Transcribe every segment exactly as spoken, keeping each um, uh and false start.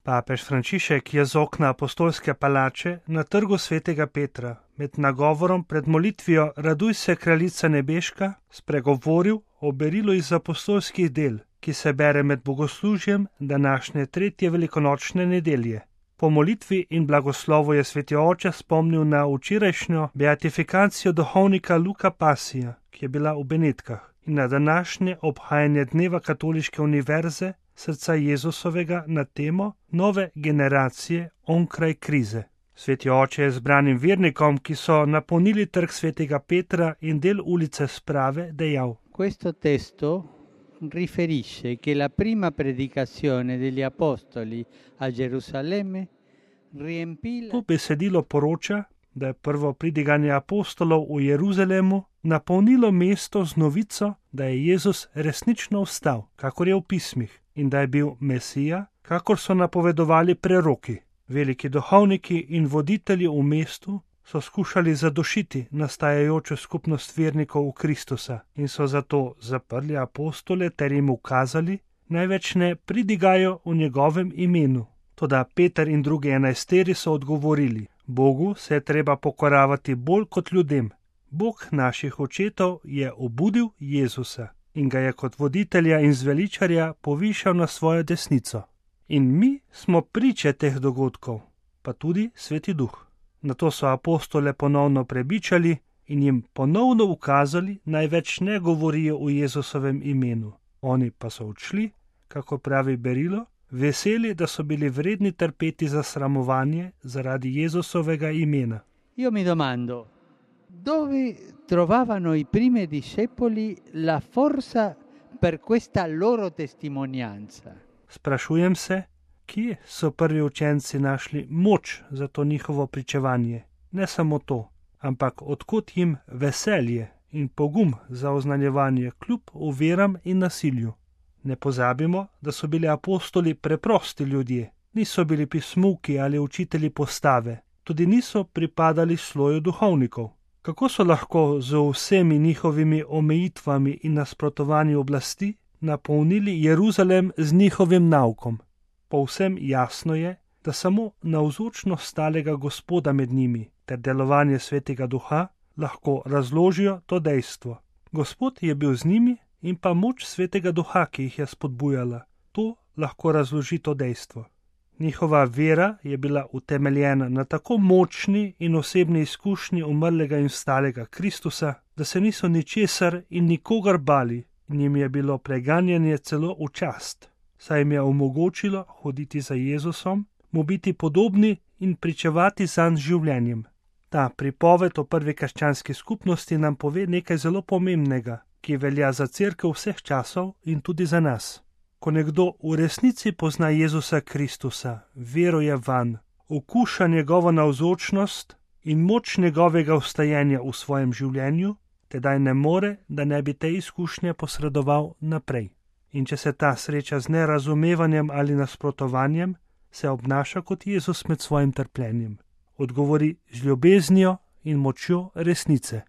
Papež Frančišek je z okna apostolske palače na trgu svetega Petra med nagovorom pred molitvijo Raduj se, kraljica nebeška, spregovoril o berilu iz apostolskih del, ki se bere med bogoslužjem današnje tretje velikonočne nedelje. Po molitvi in blagoslovu je sveti oče spomnil na včerajšnjo beatifikacijo duhovnika Luka Pasija, ki je bila v Benetkah, in na današnje obhajanje dneva Katoliške univerze srca Jezusovega na temo nove generacije onkraj krize. Sveti oče je zbranim vernikom, ki so napolnili trg svetega Petra in del ulice Sprave, dejal: Questo testo riferisce che la prima predicazione degli apostoli a Gerusalemme riempì To besedilo poroča, da je prvo pridiganje apostolov v Jeruzalemu napolnilo mesto z novico, da je Jezus resnično vstal, kakor je v pismih, in da je bil Mesija, kakor so napovedovali preroki. Veliki duhovniki in voditelji v mestu so skušali zadošiti nastajajočo skupnost vernikov v Kristusa in so zato zaprli apostole ter jim ukazali, največ ne pridigajo v njegovem imenu. Toda Peter in drugi enajsteri so odgovorili: Bogu se je treba pokoravati bolj kot ljudem. Bog naših očetov je obudil Jezusa in ga je kot voditelja in zveličarja povišal na svojo desnico. In mi smo priče teh dogodkov, pa tudi Sveti Duh. Nato so apostole ponovno prebičali in jim ponovno ukazali, naj več ne govorijo v Jezusovem imenu. Oni pa so odšli, kako pravi berilo, veseli, da so bili vredni trpeti za sramovanje zaradi Jezusovega imena. Io mi domando, dove trovavano i primi discepoli la forza per questa loro testimonianza? Sprašujem se, kje so prvi učenci našli moč za to njihovo pričevanje. Ne samo to, ampak odkot jim veselje in pogum za oznanjevanje kljub oviram in nasilju. Ne pozabimo, da so bili apostoli preprosti ljudje, niso bili pismuki ali učitelji postave, tudi niso pripadali sloju duhovnikov. Kako so lahko z vsemi njihovimi omejitvami in nasprotovanji oblasti napolnili Jeruzalem z njihovim naukom? Povsem jasno je, da samo navzočnost stalega Gospoda med njimi ter delovanje Svetega Duha lahko razložijo to dejstvo. Gospod je bil z njimi in pa moč Svetega Duha, ki jih je spodbujala. To lahko razloži to dejstvo. Njihova vera je bila utemeljena na tako močni in osebni izkušnji umrlega in vstalega Kristusa, da se niso ničesar in nikogar bali, in jim je bilo preganjanje celo v čast, saj jim je omogočilo hoditi za Jezusom, mu biti podobni in pričevati zanj življenjem. Ta pripoved o prvi krščanski skupnosti nam pove nekaj zelo pomembnega, ki velja za cerkev vseh časov in tudi za nas. Ko nekdo v resnici pozna Jezusa Kristusa, veruje vanj, okuša njegovo navzočnost in moč njegovega vstajenja v svojem življenju, tedaj ne more, da ne bi te izkušnje posredoval naprej. In če se ta sreča z nerazumevanjem ali nasprotovanjem, se obnaša kot Jezus med svojim trpljenjem. Odgovori z ljubeznijo in močjo resnice.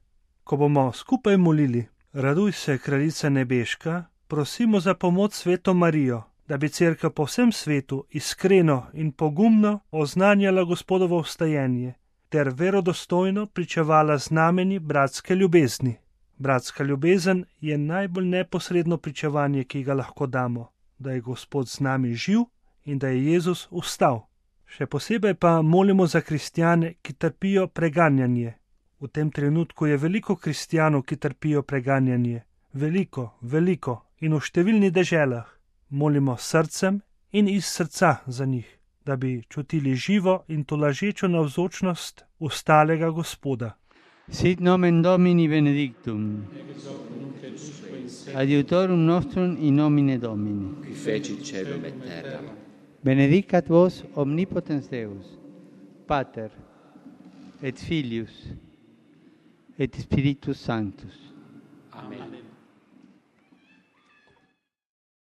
Ko bomo skupaj molili: Raduj se, kraljica nebeška, prosimo za pomoč Sveto Marijo, da bi cerkev po vsem svetu iskreno in pogumno oznanjala Gospodovo vstajenje ter verodostojno pričevala znamenji bratske ljubezni. Bratska ljubezen je najbolj neposredno pričevanje, ki ga lahko damo, da je Gospod z nami živ in da je Jezus vstal. Še posebej pa molimo za kristjane, ki trpijo preganjanje. V tem trenutku je veliko kristjanov, ki trpijo preganjanje. Veliko, veliko in v številnih deželah. Molimo s srcem in iz srca za njih, da bi čutili živo in tolažečo navzočnost vstalega Gospoda. Sit nomen Domini benedictum, adiutorum nostrum in nomine Domini, qui feci celum et terra. benedicat vos omnipotens Deus, Pater, et Filius, et Spiritus Sanctus. Amen.